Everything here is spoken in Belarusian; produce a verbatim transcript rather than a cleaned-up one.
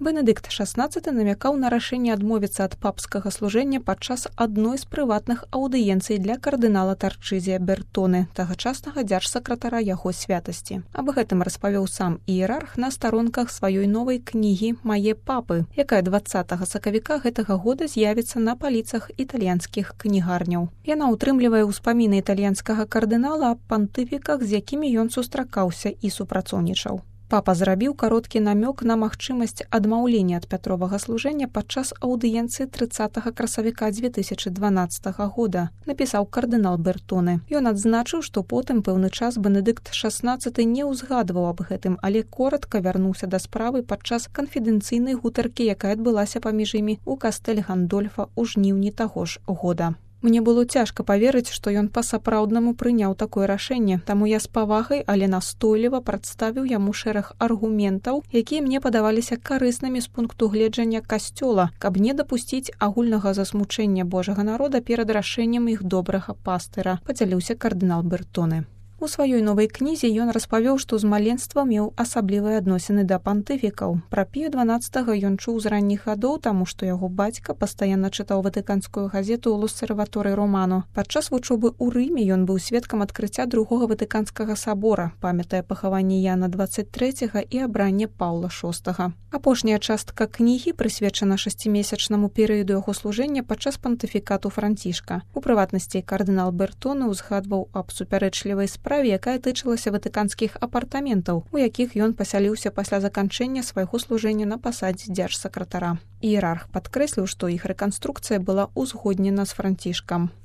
Бенедыкт шаснаццаты намякаў на рашэнне адмовіцца ад папскага служэння падчас адной з прыватных аўдыенцый для кардынала Тарчызія Бертоны, тагачаснага дзяржсакратара яго святасці. Аб гэтым распавёў сам іерарх на старонках сваёй новай кнігі «Мае папы», якая дваццатага сакавіка гэтага года з'явіцца на паліцах італьянскіх кнігарняў. Яна ўтрымлівае ўспаміны італьянскага кардынала аб пантыфіках, з якімі ён сустракаўся і супрацоўнічаў. Папа зрабіў кароткі намёк на магчымасць адмаўлення ад Пятровага служэння падчас аўдыенцыі трыццатага красавіка дзве тысячы дванаццатага года, напісаў кардынал Бертоны. Ён адзначыў, што потым пэўны час Бенедыкт шаснаццаты не ўзгадваў аб гэтым, але коратка вярнуўся да справы падчас канфідэнцыйнай гутаркі, якая адбылася паміж імі ў кастэль Гандольфа ў жніўні таго ж года. Мне было цяжка паверыць, што ён па-сапраўднаму прыняў такое рашэнне, таму я з павагай, але настойліва прадставіў яму шэраг аргументаў, якія мне падаваліся карыснымі з пункту гледжання касцёла, каб не дапусціць агульнага засмучэння Божага народа перад рашэннем іх добрага пастыра, падзяліўся кардынал Бертоны. У сваёй новай кнізе ён распавёў, што з маленства меў асаблівыя адносіны да пантыфікаў. Пра Пія дванаццатага ён чуў з ранніх гадоў, таму што яго бацька пастаянна чытаў ватыканскую газету «Лосерваторы Романо». Падчас вучобы ў Рыме ён быў сведкам адкрыцця другога ватыканскага сабора, памятае пахаванне Яна дваццаць трэцяга і абранне Паўла шостага. Апошняя частка кнігі прысвечана шасцімесячнаму перыяду яго служэння падчас пантыфікату Францішка. У прыватнасці кардынал Бертоны ўзгадваў аб супярэчлівай справе, якая тычылася ватыканскіх апартаментаў, у якіх ён пасяліўся пасля заканчэння свайго служэння на пасадзе дзяржсакратара. Іерарх падкрэсліў, што іх рэканструкцыя была ўзгоднена з Францішкам.